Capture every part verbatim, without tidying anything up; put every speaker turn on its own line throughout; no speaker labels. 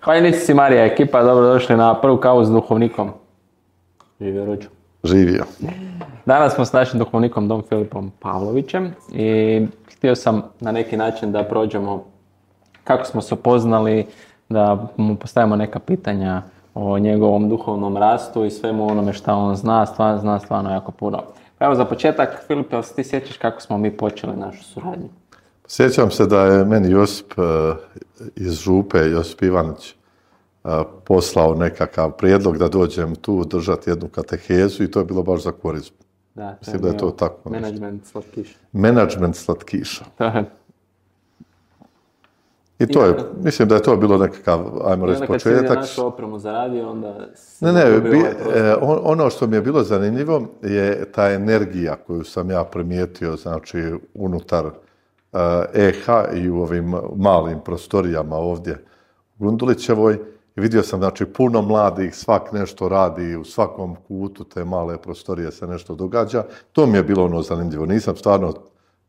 Hvaljnici si Marija, ekipa, dobrodošli na prvu kavu s duhovnikom. Živio Ruđu.
Živio.
Danas smo s našim duhovnikom Dom Filipom Pavlovićem i htio sam na neki način da prođemo kako smo se upoznali, da mu postavimo neka pitanja o njegovom duhovnom rastu i svemu onome što on zna, stvarno zna stvarno jako puno. Pa evo za početak, Filip, jel se ti sjećaš kako smo mi počeli našu suradnju?
Sjećam se da je meni Josip iz Župe, Josip Ivanić, poslao nekakav prijedlog da dođem tu držati jednu katehezu i to je bilo baš za korizmu.
Da, to
Mislim da je to tako.
Menadžment slatkiša.
Menadžment slatkiša. I to je, mislim da je to bilo nekakav, ajmo reći, početak.
Kad si vidio našu opremu za radio, onda...
Ne, ne, bi, eh, ono što mi je bilo zanimljivo je ta energija koju sam ja primijetio, znači, unutar eh, E H i u ovim malim prostorijama ovdje u Gundulićevoj. I vidio sam, znači, puno mladih, svak nešto radi, u svakom kutu te male prostorije se nešto događa. To mi je bilo ono zanimljivo. Nisam stvarno,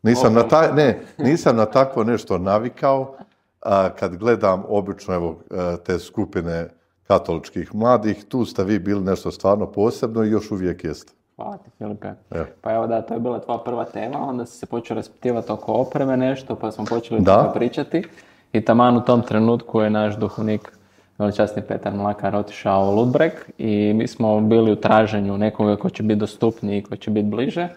nisam, na, taj, ne, nisam na takvo nešto navikao. A kad gledam obično evo, te skupine katoličkih mladih, tu ste vi bili nešto stvarno posebno i još uvijek jeste.
Hvala ti, Filipe. Ja. Pa evo da, to je bila tvoja prva tema, onda si se počeo raspitivati oko opreme nešto, pa smo počeli da pričati. I taman u tom trenutku je naš duhovnik, veličasni Petar Mlakar, otišao u Ludbreg i mi smo bili u traženju nekoga ko će biti dostupniji i ko će biti bliže.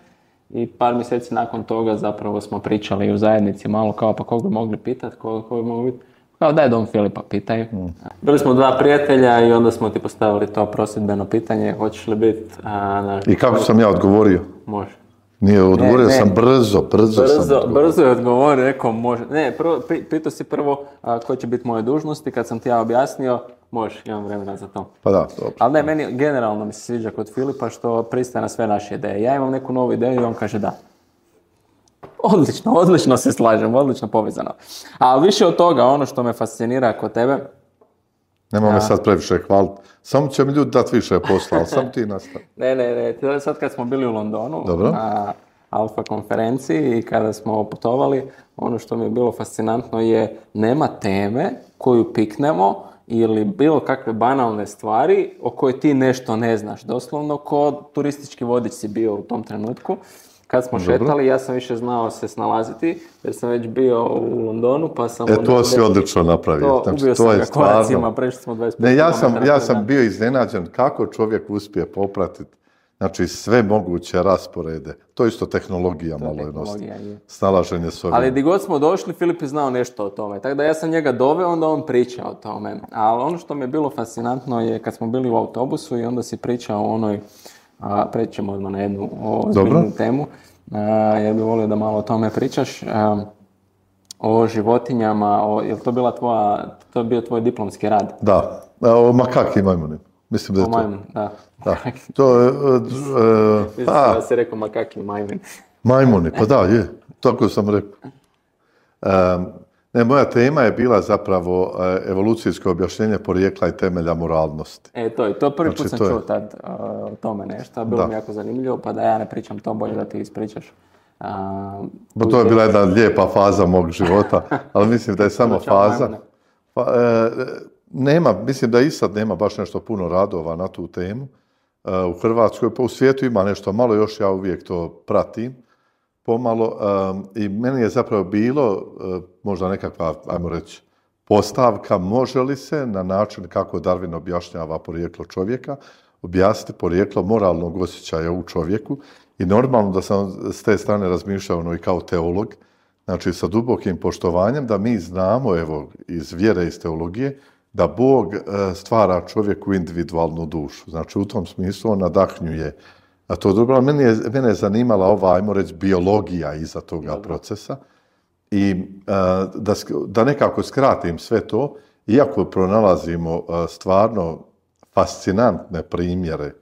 I par mjeseci nakon toga zapravo smo pričali u zajednici malo kao pa koga bi mogli pitati, koga, koga bi mogli pitati. Kao daj Dom Filipa, pitaj. Mm. Bili smo dva prijatelja i onda smo ti postavili to prosvjedbeno pitanje, hoćeš li biti... A, na...
I kako sam ja odgovorio?
Može.
Nije, odgovorio ne, ne. sam brzo, brzo, brzo sam odgovorio.
Brzo je odgovorio, rekao može. Ne, prvo, pitao si prvo a, koje će biti moje dužnosti, kad sam ti ja objasnio, može, imam vremena za to.
Pa da, dobro.
Ali ne, meni generalno mi se sviđa kod Filipa što pristaje na sve naše ideje. Ja imam neku novu ideju i on kaže da. Odlično, odlično se slažem, odlično povezano. Ali više od toga, ono što me fascinira kod tebe...
Nema ja. me sad previše hvaliti. Samo će mi ljudi dati više posla, ali sam ti nastavi.
ne, ne, ne. Sad kad smo bili u Londonu,
Dobro.
na Alfa konferenciji i kada smo putovali, ono što mi je bilo fascinantno je nema teme koju piknemo ili bilo kakve banalne stvari o kojoj ti nešto ne znaš. Doslovno ko turistički vodič si bio u tom trenutku. Kad smo Dobro. šetali, ja sam više znao se snalaziti, jer sam već bio u Londonu, pa sam...
E, to si odlično napravio.
To, znači, ubio to sam ga stvarno... koracima, prešli smo dvadeset pet
Ne, ja sam, ja sam bio iznenađen kako čovjek uspije popratiti, znači, sve moguće rasporede. To je isto tehnologija to malo tehnologija, je. Snalaženje s ovim.
Ali di god smo došli, Filip je znao nešto o tome. Tako da ja sam njega doveo, onda on priča o tome. Ali ono što mi je bilo fascinantno je kad smo bili u autobusu i onda si pričao o onoj... A, prećemo odmah na jednu ozbiljnu temu, a, jer bih volio da malo o tome pričaš, a, o životinjama, o, je li to bila tvoja, to je bio tvoj diplomski rad?
Da, o makaki i majmuni, mislim da je
o majmun, to. Da.
da. To je, uh,
mislim uh, da se rekao makaki i majmuni.
Majmuni, pa da, je, tako sam rekao. Um, Ne, moja tema je bila zapravo evolucijsko objašnjenje porijekla i temelja moralnosti.
E, to je, to prvi znači, put sam čuo tad uh, o tome nešto, bilo da. mi jako zanimljivo, pa da ja ne pričam to, bolje da ti ispričaš. Uh,
pa to je bila jedna lijepa faza mog života, ali mislim da je samo faza. Pa, e, nema, mislim da i sad nema baš nešto puno radova na tu temu. E, u Hrvatskoj, pa u svijetu ima nešto malo, još ja uvijek to pratim. Pomalo um, i meni je zapravo bilo uh, možda nekakva, ajmo reći, postavka može li se na način kako Darwin objašnjava porijeklo čovjeka, objasniti porijeklo moralnog osjećaja u čovjeku i normalno da sam s te strane razmišljao ono i kao teolog, znači sa dubokim poštovanjem da mi znamo, evo, iz vjere, iz teologije, da Bog uh, stvara čovjeku individualnu dušu. Znači u tom smislu on nadahnjuje. A to dobro, mene je, mene je zanimala ova, ajmo reći, biologija iza toga dobro. procesa. I uh, da, da nekako skratim sve to, iako pronalazimo uh, stvarno fascinantne primjere,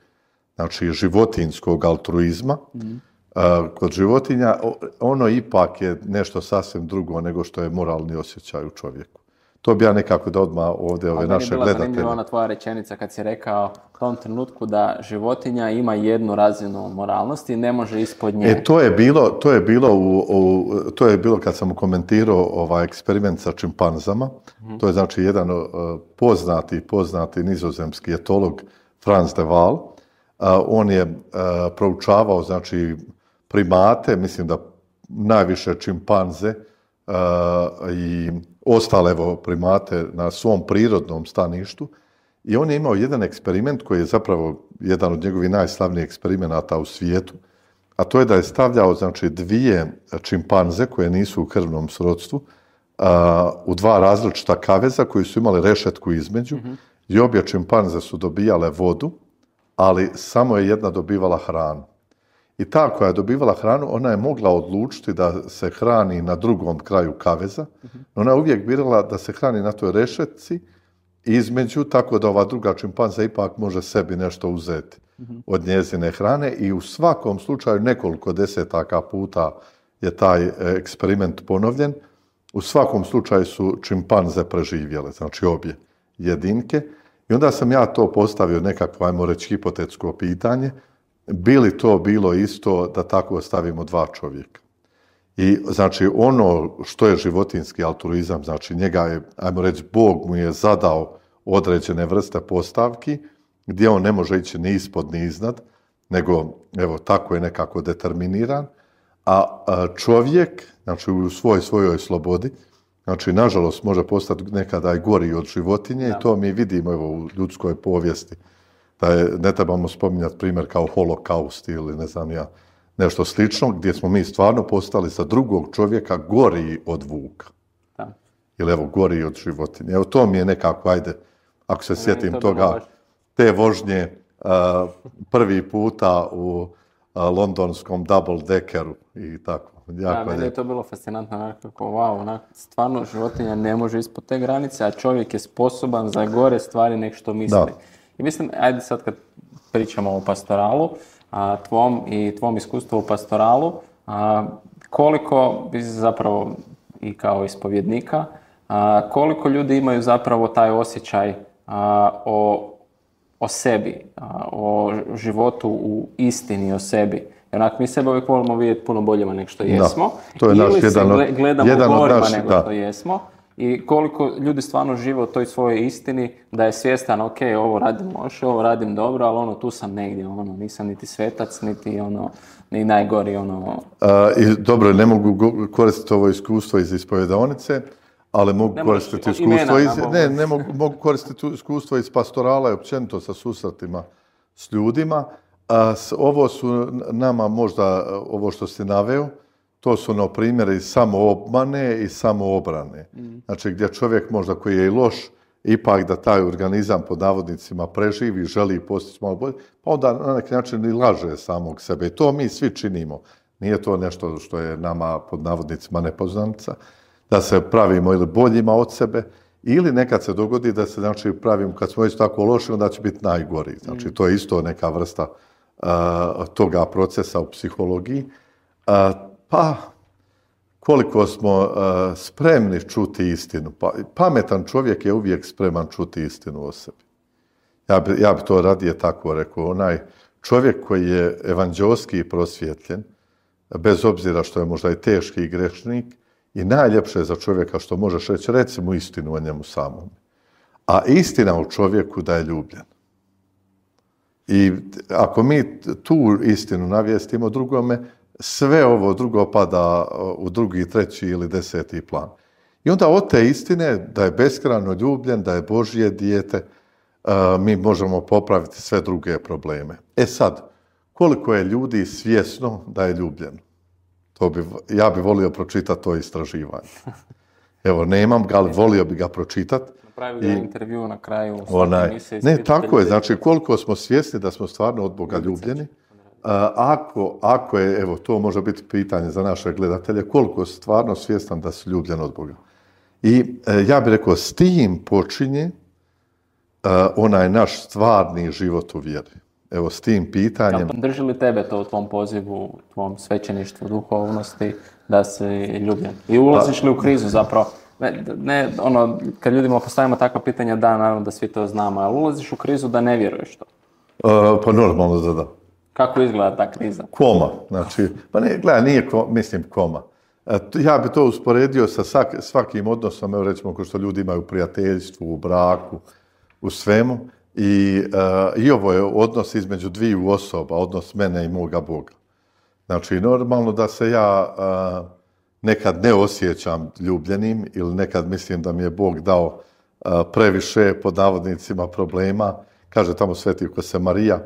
znači životinjskog altruizma, mm. uh, kod životinja ono ipak je nešto sasvim drugo nego što je moralni osjećaj u čovjeku. To bi ja nekako da odmah ovdje ove naše gledatelje.
Meni je bila zanimljiva ona tvoja rečenica kad si rekao u tom trenutku da životinja ima jednu razinu moralnosti i ne može ispod nje.
E, to je bilo, to je bilo, u, u, to je bilo kad sam komentirao ovaj eksperiment sa čimpanzama. Mm-hmm. To je znači jedan uh, poznati, poznati nizozemski etolog Frans de Waal. Uh, on je uh, proučavao znači primate, mislim da najviše čimpanze uh, i ostale evo, primate na svom prirodnom staništu i on je imao jedan eksperiment koji je zapravo jedan od njegovih najslavnijih eksperimenata u svijetu, a to je da je stavljao znači, dvije čimpanze koje nisu u krvnom srodstvu uh, u dva različita kaveza koji su imali rešetku između mm-hmm. i obje čimpanze su dobijale vodu, ali samo je jedna dobivala hranu. I ta koja je dobivala hranu, ona je mogla odlučiti da se hrani na drugom kraju kaveza, no ona je uvijek birala da se hrani na toj rešetci između, tako da ova druga čimpanza ipak može sebi nešto uzeti od njezine hrane i u svakom slučaju nekoliko desetaka puta je taj eksperiment ponovljen. U svakom slučaju su čimpanze preživjele, znači obje jedinke. I onda sam ja to postavio nekakvo, ajmo reći, hipotetsko pitanje. Bi li to bilo isto da tako stavimo dva čovjeka? I znači ono što je životinski altruizam, znači njega je, ajmo reći, Bog mu je zadao određene vrste postavki gdje on ne može ići ni ispod ni iznad, nego evo tako je nekako determiniran, a čovjek, znači u svoj svojoj slobodi, znači nažalost može postati nekada i gori od životinje da. I to mi vidimo evo u ljudskoj povijesti. Da je, ne trebamo spominjati primjer kao holokaust ili ne znam ja, nešto slično, gdje smo mi stvarno postali za drugog čovjeka gori od vuka. Da. Ili evo, gori od životinje. Evo, to mi je nekako, ajde, ako se sjetim to toga, baš... te vožnje uh, prvi puta u uh, londonskom double deckeru i tako.
Da, meni je to bilo fascinantno, kako, wow, onak, stvarno životinja ne može ispod te granice, a čovjek je sposoban za gore stvari nek što misli. Da. I mislim, ajde sad kad pričamo o pastoralu, a, tvom i tvom iskustvu u pastoralu, a, koliko bi zapravo i kao ispovjednika, a, koliko ljudi imaju zapravo taj osjećaj a, o, o sebi, a, o životu u istini o sebi. Onak, mi sebe uvijek volimo vidjeti puno boljima nego što jesmo.
Da, to je naš
ili
jedan
se gledamo
jedan
gorima
naš,
nego
da.
što jesmo. I koliko ljudi stvarno žive u toj svojoj istini, da je svjestan, ok, ovo radim loše, ovo radim dobro, ali ono, tu sam negdje, ono, nisam niti svetac, niti ono, ni najgori, ono...
A, i, dobro, ne mogu koristiti ovo iskustvo iz ispovjedaonice, ali mogu ne koristiti iskustvo imena, iz... Ne, ne mogu, mogu koristiti iskustvo iz pastorala i općenito sa susretima s ljudima. A, s, ovo su nama možda, ovo što si naveo, to su no primjeri samoobmane i samoobrane. Mm. Znači gdje čovjek možda koji je i loš, ipak da taj organizam pod navodnicima preživi, želi postići malo bolje, pa onda na neki način i laže samog sebe. I to mi svi činimo. Nije to nešto što je nama pod navodnicima nepoznanica, da se pravimo ili boljima od sebe, ili nekad se dogodi da se znači, pravimo, kad smo već tako loši, onda će biti najgori. Znači mm. to je isto neka vrsta uh, toga procesa u psihologiji. Uh, Pa, koliko smo uh, spremni čuti istinu. Pa, pametan čovjek je uvijek spreman čuti istinu o sebi. Ja bi, ja bi to radije tako rekao. Onaj čovjek koji je evanđelski prosvjetljen, bez obzira što je možda i teški i grešnik, i najljepše je za čovjeka što možeš reći, reci mu istinu o njemu samom. A istina u čovjeku da je ljubljen. I ako mi tu istinu navijestimo drugome, sve ovo drugo pada u drugi, treći ili deseti plan. I onda od te istine da je beskrajno ljubljen, da je Božje dijete, mi možemo popraviti sve druge probleme. E sad, koliko je ljudi svjesno da je ljubljen? To bi, ja bi volio pročitati to istraživanje. Evo, nemam ga, ali volio bi ga pročitati.
Napravili intervju na kraju.
Onaj, ne, tako je. Znači, koliko smo svjesni da smo stvarno od Boga ljubljeni. Ako, ako je, evo, to može biti pitanje za naše gledatelje, koliko je stvarno svjestan da si ljubljen od Boga. I ja bih rekao, s tim počinje uh, onaj naš stvarni život u vjeri. Evo, s tim pitanjem...
Drži li tebe to u tvom pozivu, u tvom svećeništvu, duhovnosti, da si ljubljen? I ulaziš li u krizu zapravo? Ne, ne, ono, kad ljudima postavimo takva pitanja, da, naravno da svi to znamo, ali ulaziš u krizu da ne vjeruješ to.
Uh, pa normalno da da.
Kako izgleda ta kriza?
Koma, znači, pa ne, gledaj, nije, mislim, koma. Ja bi to usporedio sa svak, svakim odnosom, evo recimo, ko što ljudi imaju u prijateljstvu, u braku, u svemu. I, uh, i ovo je odnos između dviju osoba, odnos mene i moga Boga. Znači, normalno da se ja uh, nekad ne osjećam ljubljenim ili nekad mislim da mi je Bog dao uh, previše, pod navodnicima, problema. Kaže tamo Sveti Jose Marija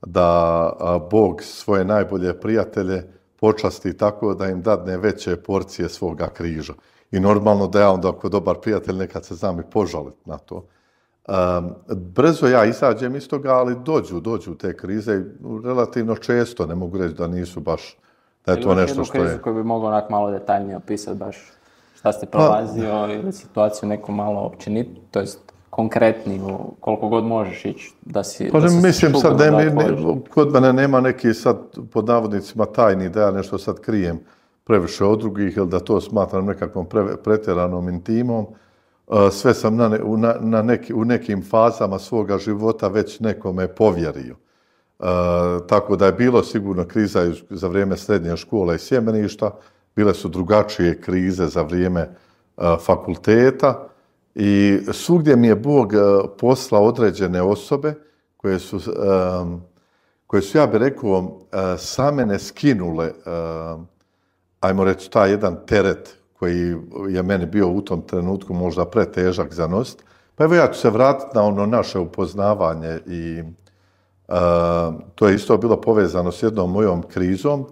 da uh, Bog svoje najbolje prijatelje počasti tako da im dadne veće porcije svoga križa. I normalno da ja onda ako dobar prijatelj nekad se znam i požaliti na to. Um, brzo ja izađem iz toga, ali dođu, dođu te krize relativno često, ne mogu reći da nisu baš, da je to nešto što je. Ili krizu
koju bi mogao onak malo detaljnije opisati baš šta ste prolazio pa, ili situaciju neku malo općenit, to jest konkretniju, koliko god možeš ići da si...
Pa
da
ne, mislim sad, ne, ne, ne, kod mene nema neki sad pod navodnicima tajni da ja nešto sad krijem previše od drugih ili da to smatram nekakvom pre, pretjeranom intimom. Sve sam na, na, na neki, u nekim fazama svoga života već nekome povjerio. E, tako da je bilo sigurno kriza za vrijeme srednje škole i sjemeništa, bile su drugačije krize za vrijeme a, fakulteta i svugdje mi je Bog a, poslao određene osobe koje su, a, koje su ja bih rekao, a, sa mene skinule, a, ajmo reći, taj jedan teret koji je meni bio u tom trenutku možda pretežak za nositi. Pa evo ja ću se vratiti na ono naše upoznavanje i uh, to je isto bilo povezano s jednom mojom krizom,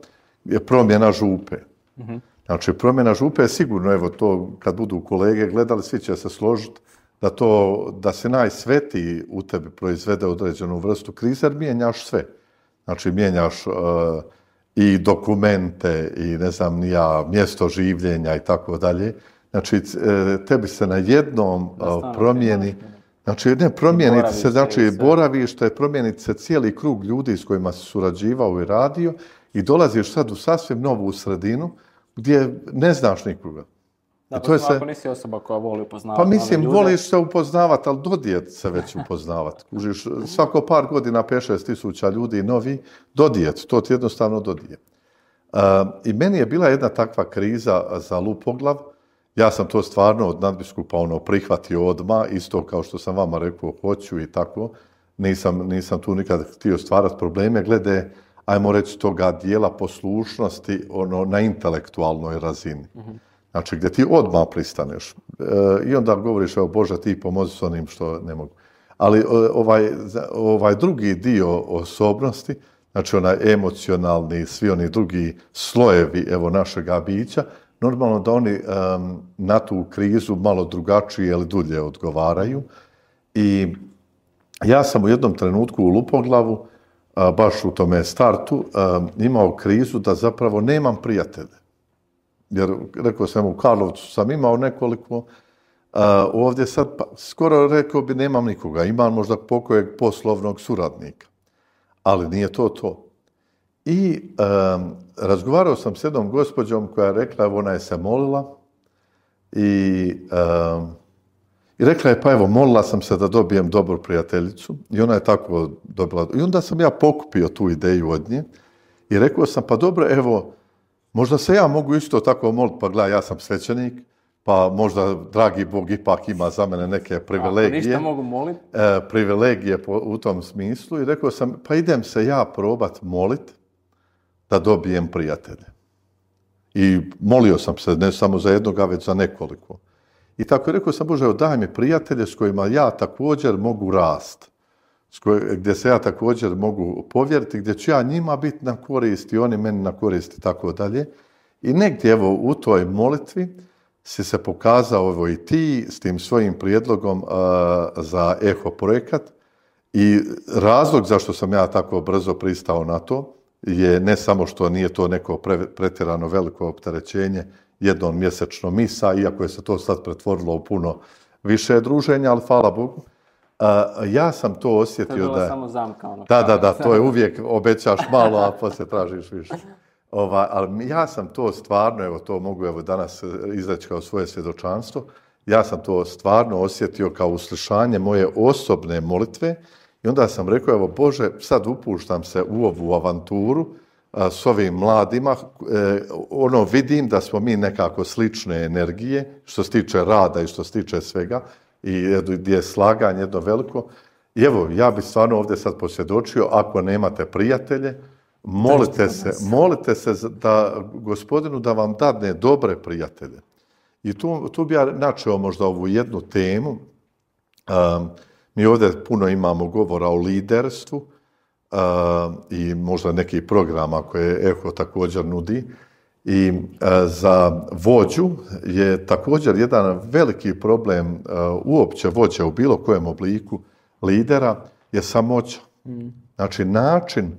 je promjena župe. Mm-hmm. Znači promjena župe je sigurno, evo to kad budu kolege gledali, svi će se složiti da to, da se najsvetiji u tebi proizvede određenu vrstu krize, jer mijenjaš sve. Znači mijenjaš uh, i dokumente, i ne znam ni ja, mjesto življenja i tako dalje. Znači, tebi se na jednom promijeni, znači ne promijeniti se, znači boravište, promijeniti se cijeli krug ljudi s kojima si surađivao i radio i dolaziš sad u sasvim novu sredinu gdje ne znaš nikoga.
Da, pa ako nisi osoba koja voli upoznavati.
Pa mislim, voliš se upoznavati, ali dodijet se već upoznavati. Kužiš, svako par godina pet šest tisuća ljudi novi, dodijet, to ti jednostavno dodijet. Uh, I meni je bila jedna takva kriza za Lupoglav. Ja sam to stvarno od nadbiskupa ono prihvatio odmah, isto kao što sam vama rekao, hoću i tako. Nisam, nisam tu nikad htio stvarati probleme glede, ajmo reći, toga dijela poslušnosti ono, na intelektualnoj razini. Mm-hmm. Znači, gdje ti odmah pristaneš. E, I onda govoriš, evo Bože, ti pomozi s onim što ne mogu. Ali ovaj, ovaj drugi dio osobnosti, znači onaj emocionalni, svi oni drugi slojevi evo našega bića, normalno da oni um, na tu krizu malo drugačije ili dulje odgovaraju. I ja sam u jednom trenutku u Lupoglavu, a, baš u tome startu, a, imao krizu da zapravo nemam prijatelje. Jer, rekao sam, u Karlovcu sam imao nekoliko, a, ovdje sad, pa, skoro rekao bi, nemam nikoga. Imam možda pokojeg poslovnog suradnika. Ali nije to to. I um, razgovarao sam s jednom gospođom koja je rekla, evo ona je se molila i, um, i rekla je, pa evo, molila sam se da dobijem dobru prijateljicu i ona je tako dobila. I onda sam ja pokupio tu ideju od nje i rekao sam, pa dobro, evo, možda se ja mogu isto tako moliti, pa gledaj, ja sam svećenik, pa možda dragi Bog ipak ima za mene neke privilegije.
Ako ništa mogu moliti?
E, privilegije po, u tom smislu i rekao sam, pa idem se ja probat moliti da dobijem prijatelje. I molio sam se ne samo za jednoga, već za nekoliko. I tako je rekao sam, Bože, daj mi prijatelje s kojima ja također mogu rast, s koj, gdje se ja također mogu povjeriti, gdje ću ja njima biti na korist i oni meni na korist i tako dalje. I negdje evo u toj molitvi si se pokazao evo i ti s tim svojim prijedlogom uh, za Eho projekat i razlog zašto sam ja tako brzo pristao na to je ne samo što nije to neko pre, pretjerano veliko opterećenje jednom mjesečno misa, iako je se to sad pretvorilo u puno više druženja, ali hvala Bogu. Uh, ja sam to osjetio da... To je bila
samo zamka. Ono,
da, da, da, to je uvijek obećaš malo, a poslije tražiš više. Ova, ali ja sam to stvarno, evo to mogu evo danas izreći kao svoje svjedočanstvo, ja sam to stvarno osjetio kao uslišanje moje osobne molitve i onda sam rekao, evo Bože, sad upuštam se u ovu avanturu a, s ovim mladima, e, ono vidim da smo mi nekako slične energije, što se tiče rada i što se tiče svega, i gdje je slaganje jedno veliko. I evo, ja bih stvarno ovdje sad posvjedočio, ako nemate prijatelje, molite se, molite se da Gospodinu da vam dadne dobre prijatelje. I tu, tu bi ja načeo možda ovu jednu temu. Um, mi ovdje puno imamo govora o liderstvu uh, i možda nekih programa koje Eho također nudi. I uh, za vođu je također jedan veliki problem uh, uopće vođe u bilo kojem obliku lidera je samoća. Mm. Znači način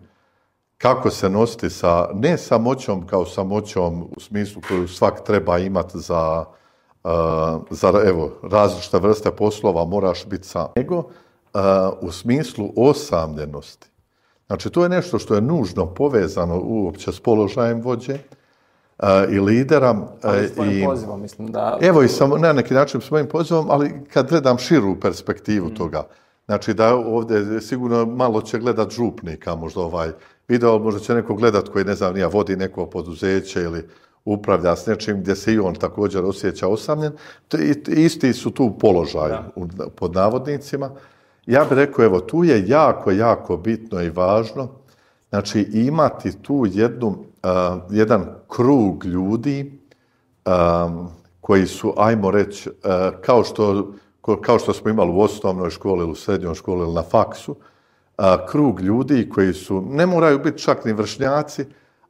kako se nositi sa, ne samoćom kao samoćom u smislu koju svak treba imati za, uh, za evo, različite vrste poslova, moraš biti sam, nego uh, u smislu osamljenosti. Znači, to je nešto što je nužno povezano uopće s položajem vođe uh, i lidera.
Ali s tvojim pozivom, mislim da...
Evo i sam, na neki način s mojim pozivom, ali kad gledam širu perspektivu mm. toga, znači da ovdje sigurno malo će gledat župnika, možda ovaj video, možda će neko gledat koji, ne znam, nija vodi neko poduzeće ili upravlja s nečim gdje se i on također osjeća osamljen. Isti su tu položaj pod navodnicima. Ja bih rekao, evo, tu je jako, jako bitno i važno, znači imati tu jednu, uh, jedan krug ljudi um, koji su, ajmo reći, uh, kao što kao što smo imali u osnovnoj školi ili u srednjoj školi ili na faksu, a, krug ljudi koji su, ne moraju biti čak ni vršnjaci,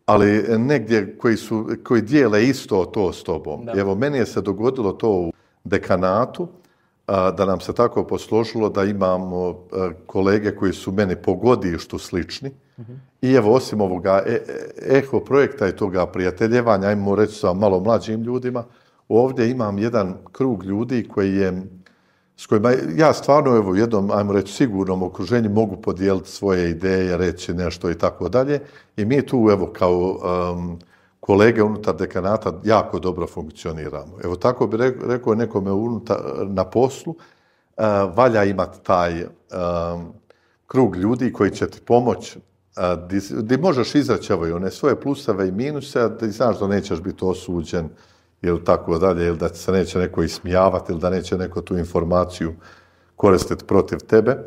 ali negdje koji, su, koji dijele isto to s tobom. Da. Evo, meni je se dogodilo to u dekanatu, a, da nam se tako posložilo da imamo a, kolege koji su meni po godištu slični. Mm-hmm. I evo, osim ovoga e, Eho projekta i toga prijateljevanja, ajmo reći sa malo mlađim ljudima, ovdje imam jedan krug ljudi koji je s kojima ja stvarno evo, u jednom, ajmo reći, sigurnom okruženju mogu podijeliti svoje ideje, reći nešto i tako dalje. I mi tu, evo, kao um, kolege unutar dekanata jako dobro funkcioniramo. Evo, tako bi rekao nekome unutar, na poslu, uh, valja imati taj um, krug ljudi koji će ti pomoći, uh, di možeš izreći evo, one svoje pluseve i minuse, da znaš da nećeš biti osuđen, ili tako dalje, ili da se neće neko ismijavati, ili da neće neko tu informaciju koristiti protiv tebe.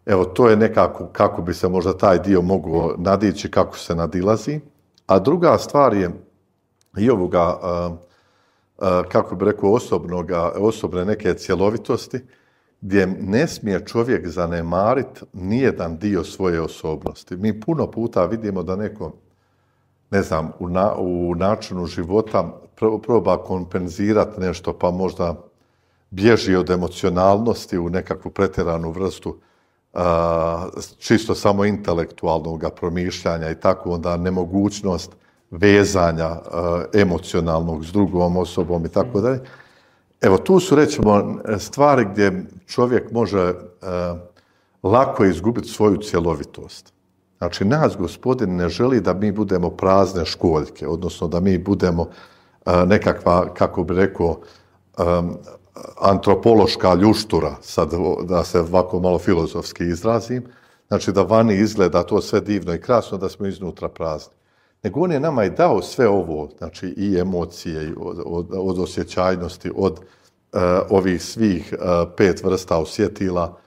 Evo, to je nekako kako bi se možda taj dio mogao nadići, kako se nadilazi. A druga stvar je i ovoga, uh, uh, kako bi rekao, osobnoga, osobne neke cjelovitosti, gdje ne smije čovjek zanemariti nijedan dio svoje osobnosti. Mi puno puta vidimo da neko, ne znam, u, na, u načinu života proba kompenzirati nešto, pa možda bježi od emocionalnosti u nekakvu pretjeranu vrstu a, čisto samo intelektualnog promišljanja i tako onda nemogućnost vezanja a, emocionalnog s drugom osobom i tako dalje. Evo, tu su, rećemo, stvari gdje čovjek može a, lako izgubiti svoju cjelovitost. Znači, nas Gospodin ne želi da mi budemo prazne školjke, odnosno da mi budemo uh, nekakva, kako bi rekao, um, antropološka ljuštura, sad da se ovako malo filozofski izrazim, znači da vani izgleda to sve divno i krasno, da smo iznutra prazni. Nego on je nama i dao sve ovo, znači i emocije, od, od, od osjećajnosti, od uh, ovih svih uh, pet vrsta osjetila,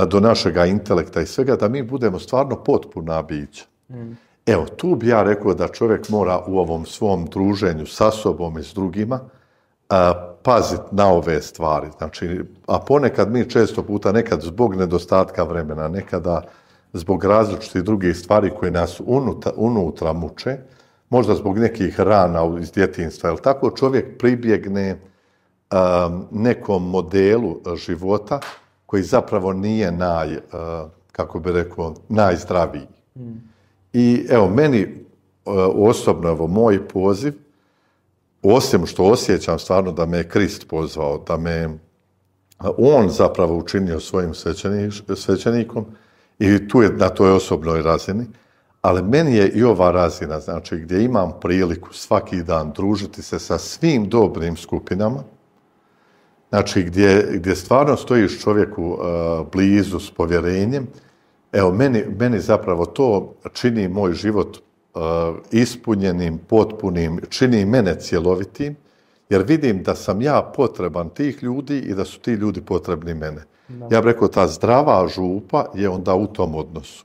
do našega intelekta i svega, da mi budemo stvarno potpuna bića. Mm. Evo, tu bi ja rekao da čovjek mora u ovom svom druženju sa sobom i s drugima a, paziti na ove stvari. Znači, a ponekad mi često puta, nekad zbog nedostatka vremena, nekada zbog različitih drugih stvari koje nas unutra, unutra muče, možda zbog nekih rana iz djetinjstva, ili tako čovjek pribjegne a, nekom modelu života koji zapravo nije naj, uh, kako bi rekao, najzdraviji. Mm. I evo, meni uh, osobno, evo, moj poziv, osim što osjećam stvarno da me je Krist pozvao, da me uh, on zapravo učinio svojim svećenik, svećenikom i tu je na toj osobnoj razini, ali meni je i ova razina, znači gdje imam priliku svaki dan družiti se sa svim dobrim skupinama, znači gdje, gdje stvarno stojiš čovjeku uh, blizu s povjerenjem, evo, meni, meni zapravo to čini moj život uh, ispunjenim, potpunim, čini mene cjelovitim, jer vidim da sam ja potreban tih ljudi i da su ti ljudi potrebni mene. Da. Ja bih rekao, ta zdrava župa je onda u tom odnosu.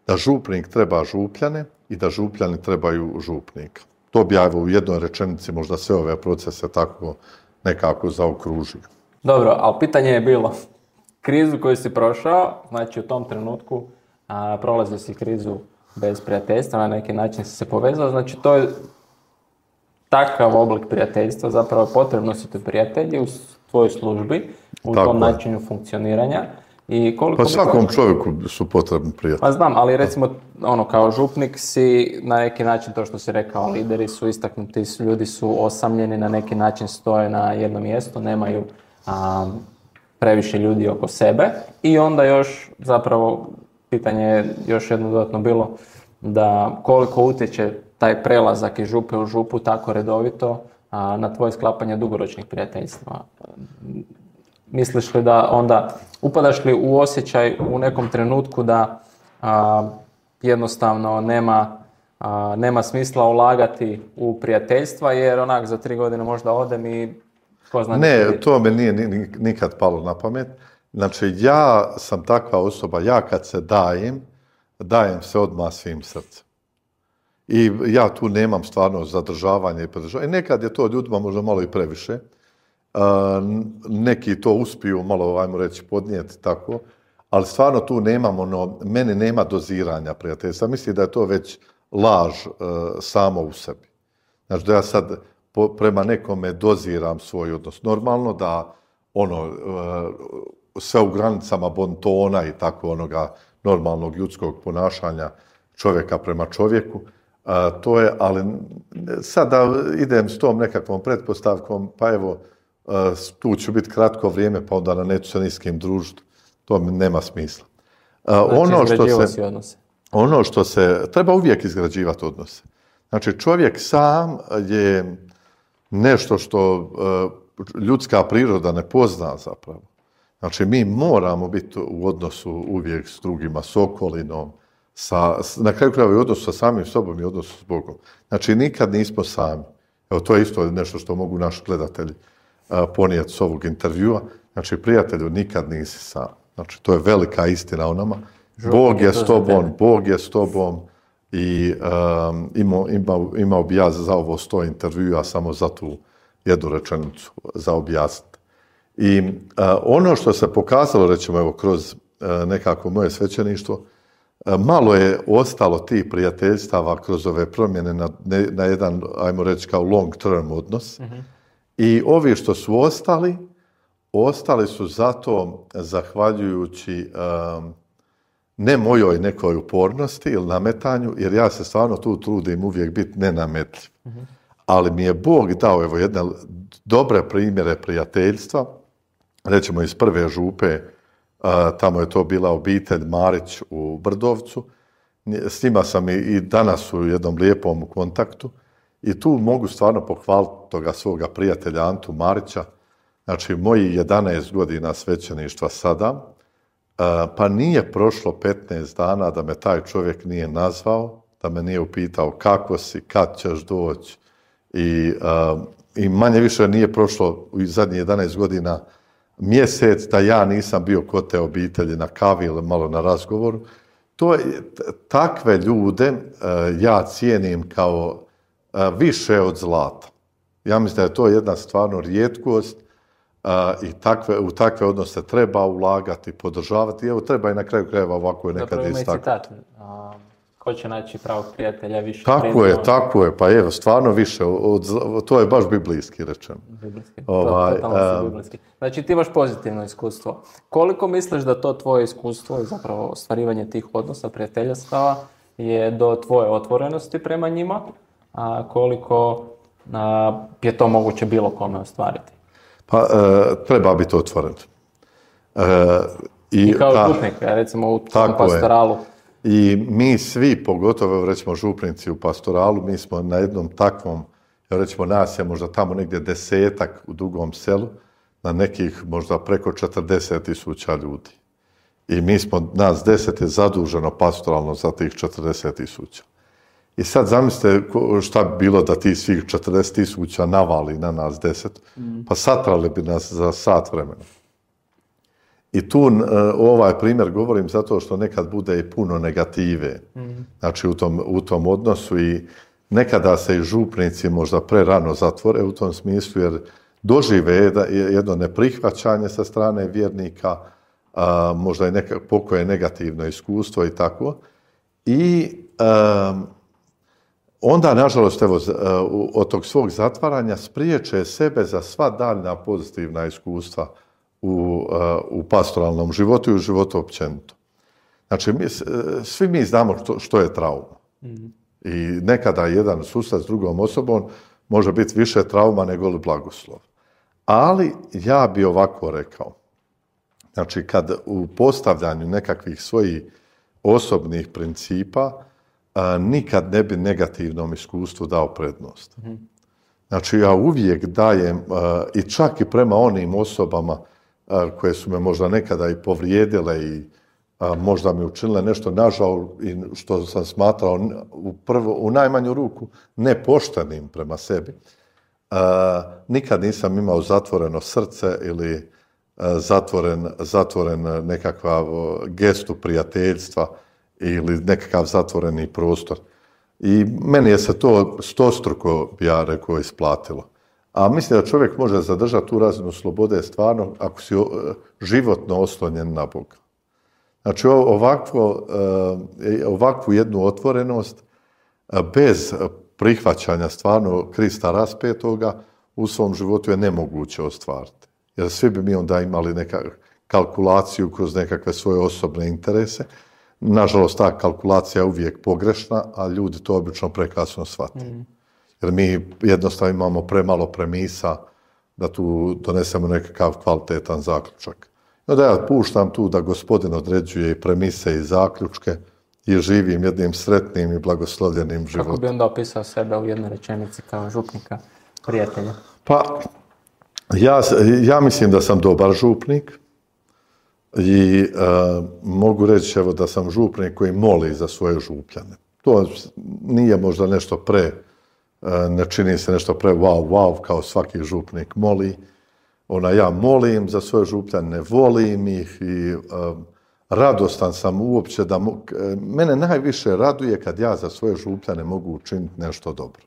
Da župnik treba župljane i da župljani trebaju župnika. To bi ja u jednoj rečenici možda sve ove procese tako nekako zaokružio.
Dobro, ali pitanje je bilo, krizu koju si prošao, znači u tom trenutku a, prolazio si krizu bez prijateljstva, na neki način si se povezao, znači to je takav oblik prijateljstva, zapravo potrebno su ti prijatelji u tvojoj službi, u tako tom načinu funkcioniranja. I koliko
pa svakom bi... čovjeku su potrebni prijatelji.
Pa znam, ali recimo ono, kao župnik si na neki način, to što si rekao, lideri su istaknuti, ljudi su osamljeni, na neki način stoje na jednom mjestu, nemaju a, previše ljudi oko sebe i onda još zapravo pitanje je još jedno dodatno bilo da koliko utječe taj prelazak iz župe u župu tako redovito a, na tvoje sklapanje dugoročnih prijateljstva. Misliš li da onda, upadaš li u osjećaj u nekom trenutku da a, jednostavno nema, a, nema smisla ulagati u prijateljstva jer onak za tri godine možda odem i ko zna...
Ne, to me nije nikad palo na pamet. Znači ja sam takva osoba, ja kad se dajem, dajem se odmah svim srcem. I ja tu nemam stvarno zadržavanje i podržavanje. Nekad je to ljudima možda malo i previše. Uh, neki to uspiju malo, ajmo reći, podnijeti tako, ali stvarno tu nemamo, ono, meni nema doziranja prijateljstva. Mislim da je to već laž uh, samo u sebi. Znači da ja sad po, prema nekome doziram svoj odnos. Normalno da ono, uh, sve u granicama bontona i tako onoga normalnog ljudskog ponašanja čovjeka prema čovjeku, uh, to je, ali sad da idem s tom nekakvom pretpostavkom, pa evo, Uh, tu ću biti kratko vrijeme, pa onda neću se ni s kim družiti. To mi nema smisla. Uh,
znači,
ono što
se, odnose.
Ono što se... Treba uvijek izgrađivati odnose. Znači, čovjek sam je nešto što uh, ljudska priroda ne pozna zapravo. Znači, mi moramo biti u odnosu uvijek s drugima, s okolinom, sa, na kraju krajeva i odnosu sa samim sobom i odnosu s Bogom. Znači, nikad nismo sami. Evo, to je isto nešto što mogu naši gledatelji ponijeti s ovog intervjua. Znači, prijatelju, nikad nisi sam. Znači, to je velika istina o nama. Bog je s tobom, Bog je s tobom i um, imao, imao, imao bi ja za ovo sto intervjua samo za tu jednu rečenicu za objasniti. I uh, ono što se pokazalo, recimo, evo, kroz uh, nekako moje svećeništvo, uh, malo je ostalo tih prijateljstava kroz ove promjene na, ne, na jedan, ajmo reći, kao long term odnos. Mm-hmm. I ovi što su ostali, ostali su zato zahvaljujući um, ne mojoj nekoj upornosti ili nametanju, jer ja se stvarno tu trudim uvijek biti nenametljiv. Mm-hmm. Ali mi je Bog dao evo jedne dobre primjere prijateljstva, recimo iz prve župe, uh, tamo je to bila obitelj Marić u Brdovcu, s njima sam i, i danas u jednom lijepom kontaktu. I tu mogu stvarno pohvaliti toga svoga prijatelja Antu Marića, znači moji jedanaest godina svećeništva sada, pa nije prošlo petnaest dana da me taj čovjek nije nazvao, da me nije upitao kako si, kad ćeš doći. I, i manje više nije prošlo u zadnjih jedanaest godina mjesec da ja nisam bio kod te obitelji na kavi ili malo na razgovoru. To je, takve ljude ja cijenim kao više od zlata. Ja mislim da je to jedna stvarno rijetkost uh, i takve, u takve odnose treba ulagati, podržavati. Evo, treba i na kraju krajeva ovako je nekad istaknuti. Zapravo ima i citat.
Uh, ko će naći pravog prijatelja više?
Tako je, tako je. Pa evo, stvarno više. Od, to je baš biblijski rečeno.
Biblijski. Ovaj, to, totalno um, biblijski. Znači, ti imaš pozitivno iskustvo. Koliko misliš da to tvoje iskustvo i zapravo ostvarivanje tih odnosa, prijateljstava je do tvoje otvorenosti prema njima? A koliko a, je to moguće bilo kome ostvariti?
Pa, e, treba biti otvoren. E,
i, I kao ta, župnik, recimo u tom pastoralu.
Je. I mi svi, pogotovo recimo župnici u pastoralu, mi smo na jednom takvom, recimo nas je možda tamo negdje desetak u Dugom Selu, na nekih možda preko četrdeset tisuća ljudi. I mi smo, nas deset je zaduženo pastoralno za tih četrdeset tisuća. I sad zamislite šta bi bilo da ti svih četrdeset tisuća navali na nas deset, mm. pa satrali bi nas za sat vremena. I tu ovaj primjer govorim zato što nekad bude i puno negative, mm. znači u tom, u tom odnosu i nekada se i župnici možda prerano zatvore u tom smislu jer dožive jedno neprihvaćanje sa strane vjernika, a, možda i neka, pokoje negativno iskustvo i tako. I a, onda, nažalost, evo, od tog svog zatvaranja spriječe sebe za sva daljna pozitivna iskustva u, u pastoralnom životu i u životu općenito. Znači, mi, svi mi znamo što, što je trauma. Mm-hmm. I nekada jedan susret s drugom osobom može biti više trauma nego li blagoslov. Ali ja bi ovako rekao. Znači, kad u postavljanju nekakvih svojih osobnih principa a, nikad ne bi negativnom iskustvu dao prednost. Mm-hmm. Znači, ja uvijek dajem, a, i čak i prema onim osobama a, koje su me možda nekada i povrijedile i a, možda mi učinile nešto nažao i što sam smatrao u, prvo, u najmanju ruku nepoštenim prema sebi. A, nikad nisam imao zatvoreno srce ili a, zatvoren, zatvoren nekakav gestu prijateljstva ili nekakav zatvoreni prostor. I meni je se to stostruko, ja rekao, isplatilo. A mislim da čovjek može zadržati tu razinu slobode stvarno ako si životno oslonjen na Boga. Znači ovakvo, ovakvu jednu otvorenost bez prihvaćanja stvarno Krista raspetoga u svom životu je nemoguće ostvariti. Jer svi bi mi onda imali neka kalkulaciju kroz nekakve svoje osobne interese. Nažalost, ta kalkulacija je uvijek pogrešna, a ljudi to obično prekasno shvate. Mm. Jer mi jednostavno imamo premalo premisa da tu donesemo nekakav kvalitetan zaključak. I onda ja puštam tu da Gospodin određuje i premise i zaključke i živim jednim sretnim i blagoslovljenim životom.
Kako bi onda opisao sebe u jednoj rečenici kao župnika, prijatelja?
Pa, ja, ja mislim da sam dobar župnik. I uh, mogu reći evo, da sam župnik koji moli za svoje župljane. To nije možda nešto pre, uh, ne čini se nešto pre wow, wow, kao svaki župnik moli. Ona, ja molim za svoje župljane, ne volim ih i uh, radostan sam uopće da... Mo- Mene najviše raduje kad ja za svoje župljane mogu učiniti nešto dobro.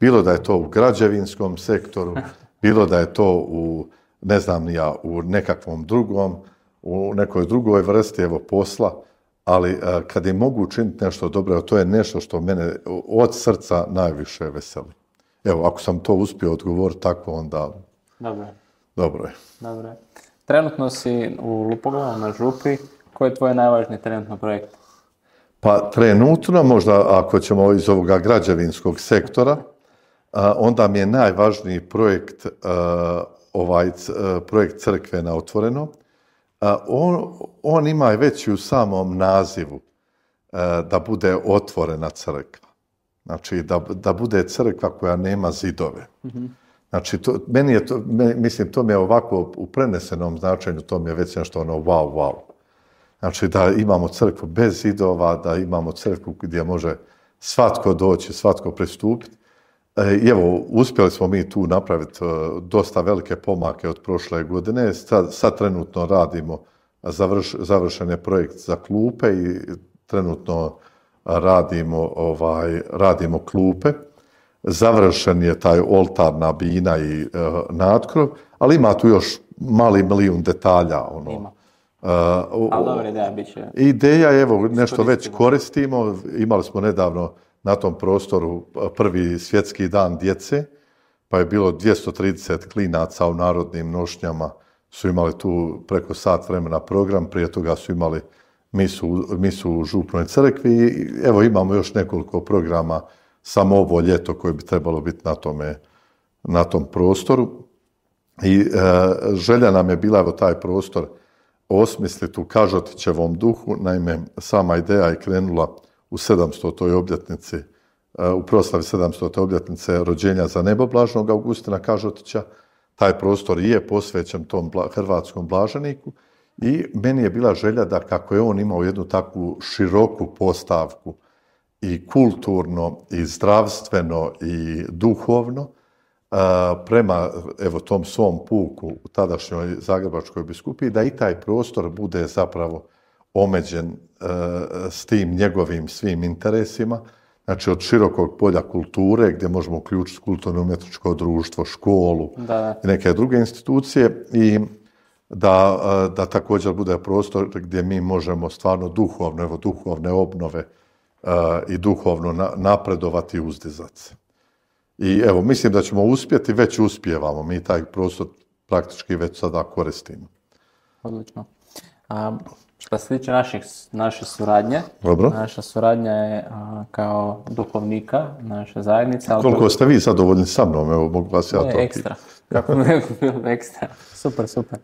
Bilo da je to u građevinskom sektoru, bilo da je to u, ne znam ni ja, u nekakvom drugom, u nekoj drugoj vrsti evo posla, ali a, kad im mogu učiniti nešto dobro, to je nešto što mene od srca najviše veseli. Evo, ako sam to uspio odgovoriti tako, onda...
Dobro je.
Dobro je.
Dobro je. Trenutno si u Lupoglavu na župi. Koji je tvoj najvažniji trenutno projekt?
Pa trenutno, možda ako ćemo iz ovoga građevinskog sektora, a, onda mi je najvažniji projekt, a, ovaj c, a, projekt Crkve na otvoreno. On, on ima već u samom nazivu da bude otvorena crkva. Znači, da, da bude crkva koja nema zidove. Mm-hmm. Znači, to, meni je to, mislim, to mi je ovako u prenesenom značenju, to mi je već nešto ono wow, wow. Znači, da imamo crkvu bez zidova, da imamo crkvu gdje može svatko doći, svatko pristupiti. I evo, uspjeli smo mi tu napraviti dosta velike pomake od prošle godine. Sad, sad trenutno radimo, završ, završen je projekt za klupe i trenutno radimo, ovaj, radimo klupe. Završen je taj oltarna bina i uh, natkrov, ali ima tu još mali milijun detalja. Ono.
Ima. Uh, ali dobra ideja bit će.
Ideja je, evo, nešto već koristimo. Imali smo nedavno na tom prostoru prvi svjetski dan djece, pa je bilo dvjesto trideset klinaca u narodnim nošnjama, su imali tu preko sat vremena program, prije toga su imali misu, misu u župnoj crkvi i evo imamo još nekoliko programa samo ovo ljeto koje bi trebalo biti na, tome, na tom prostoru. I e, želja nam je bila evo taj prostor osmisliti u Kažotićevom duhu, naime sama ideja je krenula u sedamstotoj obljetnici, u proslavi sedamstote obljetnice rođenja za neboblažnog Augustina Kažotića. taj prostor je posvećen tom hrvatskom blaženiku i meni je bila želja da kako je on imao jednu takvu široku postavku i kulturno i zdravstveno i duhovno prema evo tom svom puku u tadašnjoj Zagrebačkoj biskupiji, da i taj prostor bude zapravo omeđen s tim njegovim svim interesima, znači od širokog polja kulture gdje možemo uključiti kulturno-umjetničko društvo, školu
da.
i neke druge institucije i da, da također bude prostor gdje mi možemo stvarno duhovno, evo duhovne obnove i duhovno napredovati i uzdizati se. I evo, mislim da ćemo uspjeti, već uspijevamo, mi taj prostor praktički već sada koristimo.
Odlično. A, što se tiče naših, naše suradnje,
Dobro.
Naša suradnja je a, kao duhovnika, naša zajednica. Ali
koliko ste vi zadovoljni sa mnom, evo, mogu vas ja to...
Ne, ekstra. Kako ne bilo ekstra. Super, super.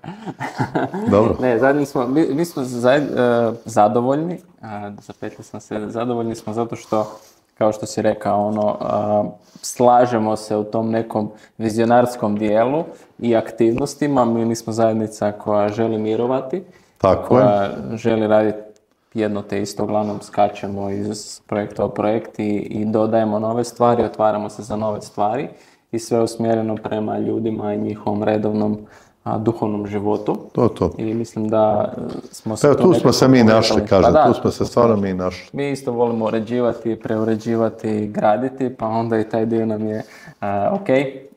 Dobro.
Ne, zajedni smo, mi, mi smo zajed, uh, zadovoljni, uh, zapetili sam se, zadovoljni smo zato što, kao što si rekao, ono, uh, slažemo se u tom nekom vizionarskom dijelu i aktivnostima. Mi nismo zajednica koja želi mirovati,
tako
koja
je.
želi raditi jedno te isto, uglavnom skačemo iz projekta u projekt i, i dodajemo nove stvari, otvaramo se za nove stvari i sve usmjereno prema ljudima i njihovom redovnom a, duhovnom životu.
To, to.
I mislim da smo se...
Evo, tu smo se mi našli, kažem, pa da, tu smo se stvarno mi našli.
Mi isto volimo uređivati, preuređivati i graditi, pa onda i taj dio nam je a, ok,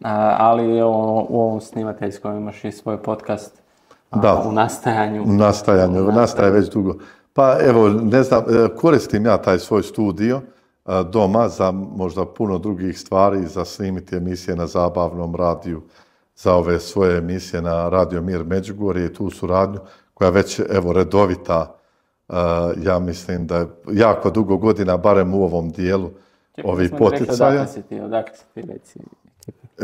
a, ali o, u ovom snimateljskom imaš i svoj podcast a,
da.
u nastajanju.
U nastajanju, u nastaje već dugo. Pa evo, ne znam, koristim ja taj svoj studio doma za možda puno drugih stvari, za snimiti emisije na zabavnom radiju, za ove svoje emisije na Radio Mir Međugorje i tu suradnju koja već evo redovita, ja mislim da je jako dugo godina, barem u ovom dijelu ovih poticaja.
Odakle si ti, odakle si ti reci?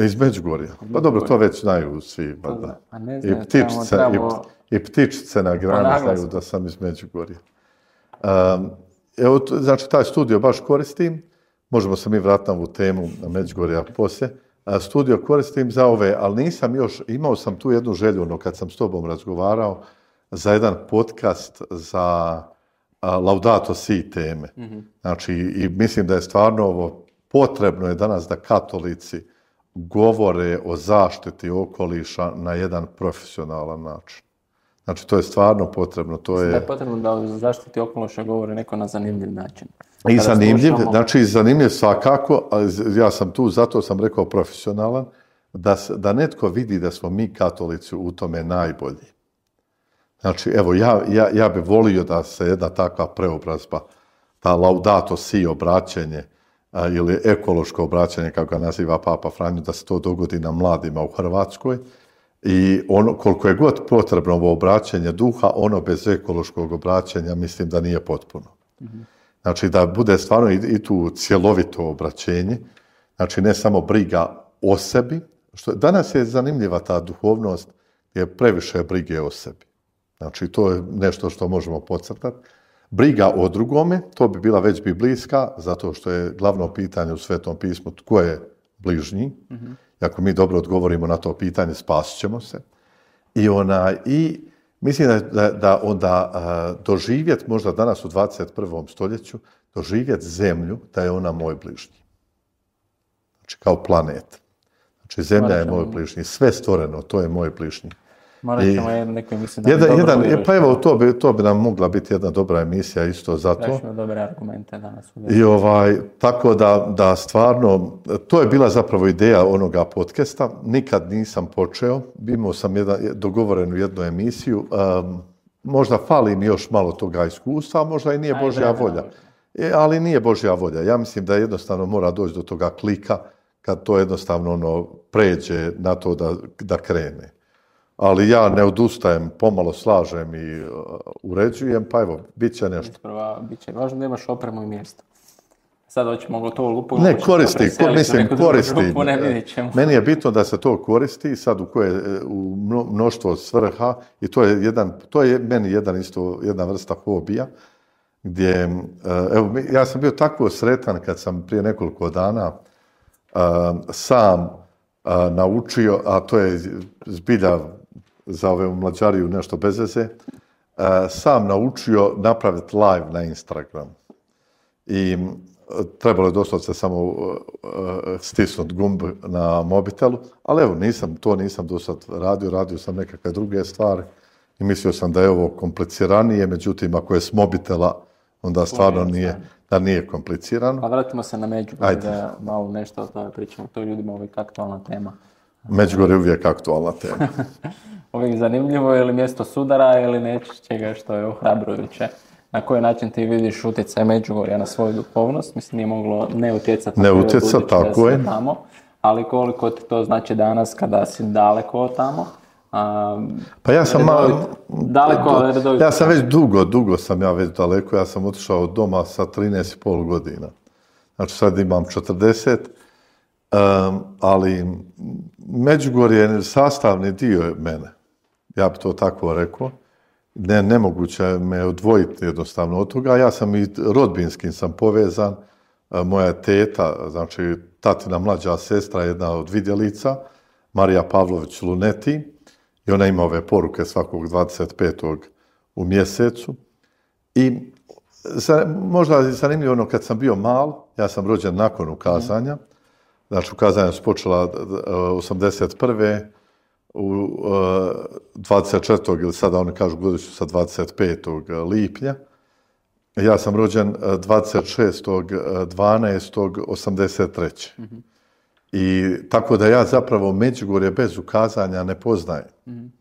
Iz Međugorja. Pa dobro, to već znaju svi. Pa da. I, ptičice, trebamo... i, i ptičice na grani znaju da sam iz Međugorja. Um, evo, znači, taj studio baš koristim. Možemo se mi vratiti na ovu temu na Međugorja poslije. A, studio koristim za ove, ali nisam još, imao sam tu jednu želju, ono, kad sam s tobom razgovarao, za jedan podcast za a, Laudato Si teme. Mm-hmm. Znači, i mislim da je stvarno ovo potrebno je danas da katolici govore o zaštiti okoliša na jedan profesionalan način. Znači, to je stvarno potrebno. To je...
Da je potrebno da o zaštiti okoliša govori neko na zanimljiv način.
I zanimljiv, slušamo... znači zanimljiv svakako, ali ja sam tu, zato sam rekao profesionalan, da, da netko vidi da smo mi katolici u tome najbolji. Znači, evo, ja, ja, ja bih volio da se jedna takva preobrazba, ta Laudato Si obraćenje, a, ili ekološko obraćanje, kako ga naziva Papa Franjo, da se to dogodi na mladima u Hrvatskoj. I ono, koliko je god potrebno ovo obraćanje duha, ono bez ekološkog obraćanja mislim da nije potpuno. Mm-hmm. Znači da bude stvarno i, i tu cjelovito obraćenje, znači ne samo briga o sebi, što danas je zanimljiva ta duhovnost, je previše brige o sebi. Znači to je nešto što možemo podcrtati. Briga o drugome, to bi bila već biblijska, zato što je glavno pitanje u Svetom pismu tko je bližnji. Mm-hmm. Ako mi dobro odgovorimo na to pitanje, spasit ćemo se. I, ona, i mislim da, da, da onda a, doživjeti, možda danas u dvadeset prvom stoljeću, doživjeti zemlju da je ona moj bližnji. Znači kao planet. Znači zemlja je moj bližnji. Sve stvoreno, to je moj bližnji.
Morat ćemo I, neko mislim da
jedan, jedan, pa evo, to bi, to bi nam mogla biti jedna dobra emisija isto za to.
Prašimo dobre argumente danas.
I ovaj, tako da, da stvarno, to je bila zapravo ideja onoga podcasta. Nikad nisam počeo. Imao sam jedan, dogovorenu jednu emisiju. Um, možda fali mi još malo toga iskustva, možda i nije Aj, Božja vremena, volja. E, ali nije Božja volja. Ja mislim da jednostavno mora doći do toga klika kad to jednostavno ono pređe na to da, da krene. Ali ja ne odustajem, pomalo slažem i uh, uređujem, pa evo, bit će nešto.
Isprava, bit će. Važno da imaš opremu i mjesto. Sad hoćemo gotovo lupu.
Ne, koristi, ko, mislim, koristi. Lupu, ne Meni je bitno da se to koristi sad u koje u mnoštvo svrha i to je jedan, to je meni jedan isto, jedna vrsta hobija, gdje, uh, evo, ja sam bio tako sretan kad sam prije nekoliko dana uh, sam a, naučio, a to je zbilja za ove mlađariju nešto bez veze, a, sam naučio napraviti live na Instagram. I trebalo je doslovce samo uh, stisnuti gumb na mobitelu, ali evo, nisam, to nisam do sad radio, radio sam nekakve druge stvari i mislio sam da je ovo kompliciranije, međutim, ako je s mobitela, onda stvarno nije, da nije komplicirano.
Pa vratimo se na Međugorje, da malo nešto o tome pričamo, to je ljudima uvijek aktualna tema.
Međugorje je uvijek aktualna tema.
Uvijek zanimljivo, ili mjesto sudara, ili nečega što je ohrabrujuće. Na koji način ti vidiš utjecaj Međugorja na svoju duhovnost? Mislim, nije moglo ne utjecati
ne utjecati, tako je.
Tamo, ali koliko ti to znači danas kada si daleko od tamo? A,
pa ja sam
redovit, daleko, ali redovito.
Ja sam već dugo, dugo sam ja već daleko. Ja sam otišao od doma sa trinaest i pol godina. Znači sad imam četrdeset, um, ali Međugorje je sastavni dio mene. Ja bi to tako rekao. Ne, nemoguće me odvojiti jednostavno od toga. Ja sam i rodbinskim sam povezan. Moja teta, znači tatina mlađa sestra, jedna od vidjelica, Marija Pavlović Luneti, i ona ima ove poruke svakog dvadeset petog u mjesecu. I možda je zanimljivo ono, kad sam bio mal, ja sam rođen nakon ukazanja, znači ukazanja su počela osamdeset prve u dvadeset četvrtog ili sada oni kažu godišnju sa dvadeset petog lipnja. Ja sam rođen dvadeset šestog dvanaestog osamdeset treće. Mm-hmm. I tako da ja zapravo Međugorje bez ukazanja ne poznajem. Mm-hmm.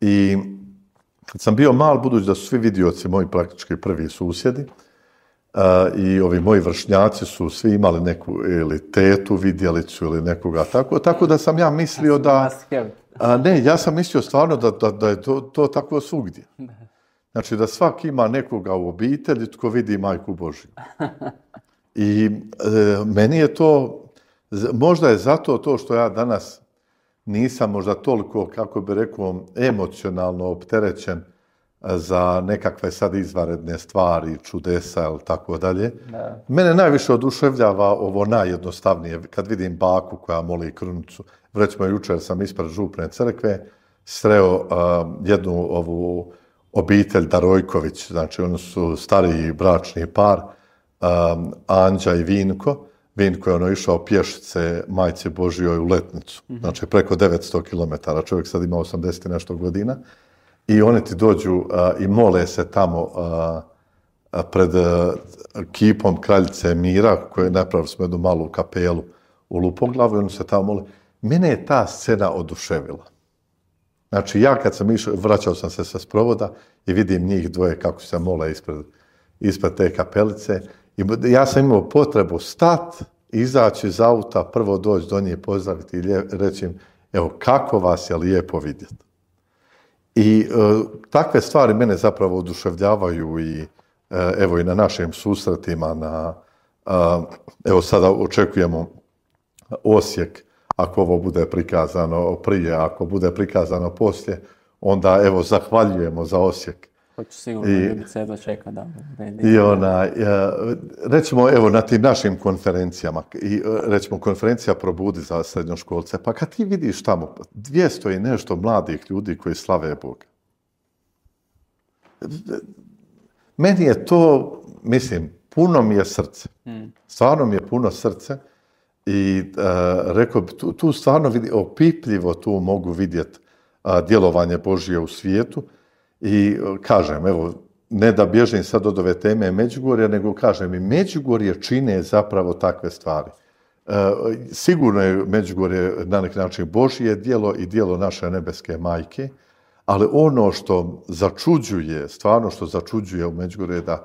I kad sam bio mal, budući da su svi vidioci moji praktički prvi susjedi, uh, i ovi moji vršnjaci su svi imali neku ili tetu vidjelicu ili nekoga tako, tako da sam ja mislio da... A, ne, ja sam mislio stvarno da, da, da je to, to tako svugdje. Znači da svak ima nekoga u obitelji tko vidi Majku Božju. I e, meni je to, možda je zato to što ja danas nisam možda toliko, kako bi rekao, emocionalno opterećen za nekakve sad izvanredne stvari, čudesa ili tako dalje. Mene najviše oduševljava ovo najjednostavnije, kad vidim baku koja moli krunicu. Recimo, jučer sam ispred župne crkve sreo uh, jednu ovu obitelj Darojković, znači oni su stariji bračni par, um, Anđa i Vinko. Vinko je ono išao pješice Majci Božjoj u Letnicu, mm-hmm. znači preko devetsto kilometara, čovjek sad ima osamdeset i nešto godina. I oni ti dođu uh, i mole se tamo uh, pred uh, kipom kraljice Mira, koje napravili smo jednu malu kapelu u Lupoglavu, i oni se tamo mole. Mene je ta scena oduševila. Znači, ja kad sam išao, vraćao sam se sa sprovoda i vidim njih dvoje kako se mole ispred, ispred te kapelice. I ja sam imao potrebu stati, izaći iz auta, prvo doći do nje, pozdraviti i reći im, evo, kako vas je lijepo vidjeti. I e, takve stvari mene zapravo oduševljavaju i e, evo i na našim susretima, na, e, evo sada očekujemo Osijek, ako ovo bude prikazano prije, ako bude prikazano poslije, onda evo zahvaljujemo za Osijek.
Hoću sigurno ljudi se jedva čeka da...
I ona, recimo evo na tim našim konferencijama, i recimo konferencija Probudi za srednjoškolce, pa kad ti vidiš tamo dvjesto i nešto mladih ljudi koji slave Boga, meni je to, mislim, puno mi je srce. Hmm. Stvarno mi je puno srce. I uh, rekao bi, tu, tu stvarno vidi, opipljivo tu mogu vidjeti uh, djelovanje Božje u svijetu. I uh, kažem, evo, ne da bježim sad od ove teme Međugorja, nego kažem i Međugorje čine zapravo takve stvari. Uh, sigurno je Međugorje na neki način Božje djelo i djelo naše nebeske majke, ali ono što začuđuje, stvarno što začuđuje u Međugorju je da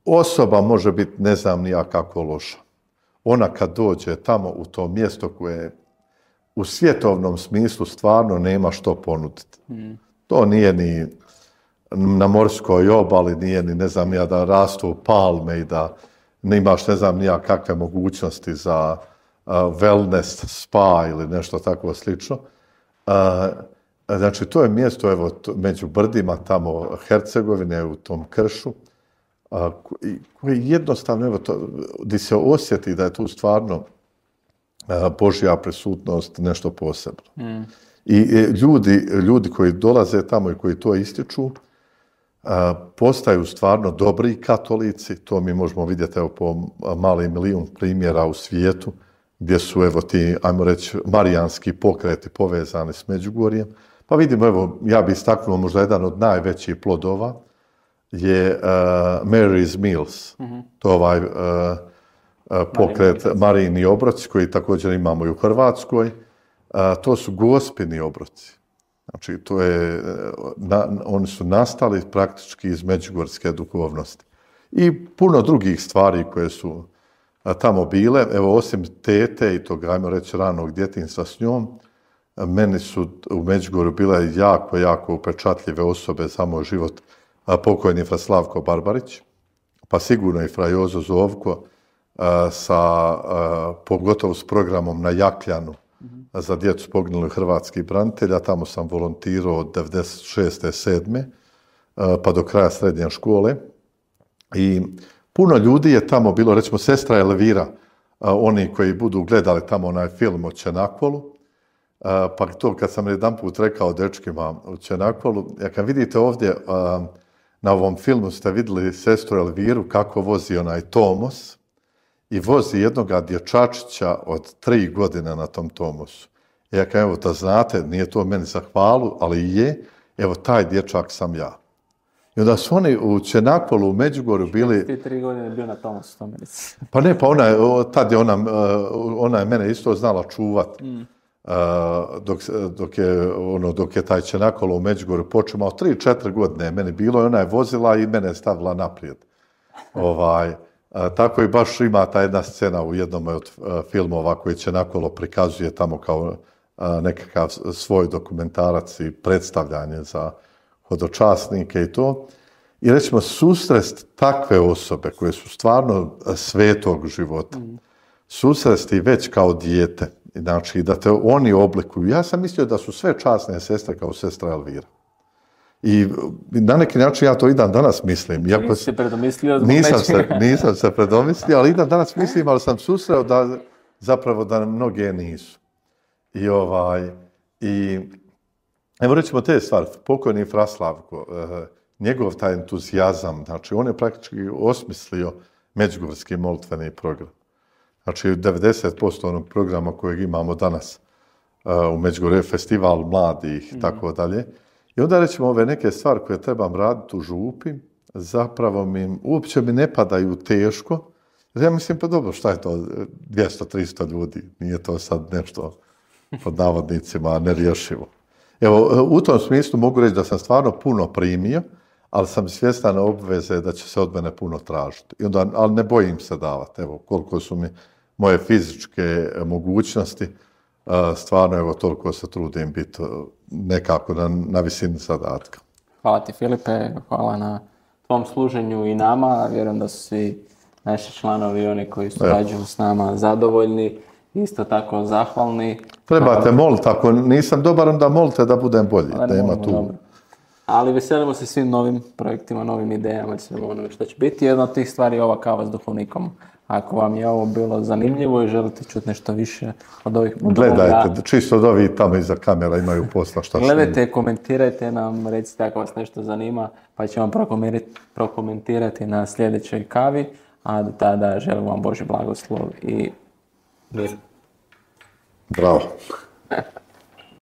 osoba može biti ne znam ni ja kako loša. Ona kad dođe tamo u to mjesto koje u svjetovnom smislu stvarno nema što ponuditi. Mm. To nije ni na morskoj obali, nije ni ne znam ja da rastu palme i da nemaš ne znam ja kakve mogućnosti za uh, wellness spa ili nešto tako slično. Uh, znači to je mjesto evo to, među brdima tamo Hercegovine u tom kršu. A, koji jednostavno, evo to, gdje se osjeti da je tu stvarno Božja prisutnost, nešto posebno. Mm. I ljudi, ljudi koji dolaze tamo i koji to ističu, postaju stvarno dobri katolici, to mi možemo vidjeti evo, po mali milijun primjera u svijetu, gdje su evo ti, ajmo reći, marijanski pokreti povezani s Međugorjem. Pa vidimo, evo, ja bih istaknuo možda jedan od najvećih plodova je uh, Mary's Meals. Mm-hmm. To je ovaj uh, uh, pokret Marijini obroci koji također imamo i u Hrvatskoj. Uh, to su gospini obroci. Znači, to je, na, oni su nastali praktički iz međugorske duhovnosti. I puno drugih stvari koje su a, tamo bile. Evo, osim tete i tog, ajmo reći, ranog djetinjstva s njom, meni su u Međugorju bile jako, jako upečatljive osobe za moj život. A, pokojni fra Slavko Barbarić, pa sigurno i fra Jozo Zovko, a, sa, a, pogotovo s programom na Jakljanu, za djecu poginulih hrvatskih branitelja. Tamo sam volontirao od devedeset šeste sedme pa do kraja srednje škole. I puno ljudi je tamo bilo, recimo sestra Elvira, oni koji budu gledali tamo onaj film o Čenakvolu, pa to kad sam jedan put rekao dečkima u Čenakvolu, ja kad vidite ovdje na ovom filmu ste vidjeli sestru Elviru kako vozi onaj Tomos, i vozi jednoga dječačića od tri godine na tom Tomosu. Ja kažem, evo da znate, nije to meni za hvalu, ali je, evo taj dječak sam ja. I onda su oni u Čenakvolu, u Međugorju bili...
Ti tri godine bio na Tomosu, to meni.
Pa ne, pa ona je, tad je ona, ona je mene isto znala čuvat. Mm. Dok, dok, je, ono, dok je taj Čenakvolo u Međugorju počeo, tri četiri godine meni bilo i ona je vozila i mene je stavila naprijed. ovaj... A, tako i baš ima ta jedna scena u jednom od a, filmova koji Čenakvolo prikazuje tamo kao a, nekakav svoj dokumentarac i predstavljanje za hodočasnike i to. I recimo susrest takve osobe koje su stvarno svetog života, mm. susresti već kao dijete, znači da te oni oblikuju. Ja sam mislio da su sve časne sestre kao sestra Elvira. I na neki način ja to i dan danas mislim.
Iako nisi se predomislio zbog
nisam se, nisam se predomislio, ali i dan danas mislim, ali sam susreo da zapravo da mnoge nisu. I ovaj, i evo rećemo te stvari, pokojni fra Slavko, eh, njegov taj entuzijazam, znači on je praktički osmislio međugorski molitveni program. Znači devedeset posto onog programa kojeg imamo danas uh, u Međugorju, festival mladih i mm. tako dalje. I onda rećemo ove neke stvari koje trebam raditi u župi, zapravo mi uopće mi ne padaju teško. Jer ja mislim, pa dobro, šta je to, dvjesto tristo ljudi, nije to sad nešto pod navodnicima nerješivo. Evo, u tom smislu mogu reći da sam stvarno puno primio, ali sam svjestan obveze da će se od mene puno tražiti. I onda, ali ne bojim se davati. Evo, koliko su mi moje fizičke mogućnosti, stvarno, evo, toliko se trudim biti nekako na, na visini zadatka.
Hvala ti, Filipe, hvala na tvom služenju i nama. Vjerujem da su svi naši članovi, oni koji surađuju s nama, zadovoljni, isto tako zahvalni.
Trebate moliti, ako nisam dobar, onda molite da budem bolji. Da ima tu.
Dobro. Ali veselimo se svim novim projektima, novim idejama, svim onome što će biti. Jedna od tih stvari je ova kava s duhovnikom. Ako vam je ovo bilo zanimljivo i želite čuti nešto više od ovih...
Gledajte, da, čisto od ovih tamo iza kamera imaju posla šta snimiti.
Gledajte, komentirajte nam, recite ako vas nešto zanima, pa ćemo prokomentirati na sljedećoj kavi, a do tada želim vam Božji blagoslov i mir.
Bravo.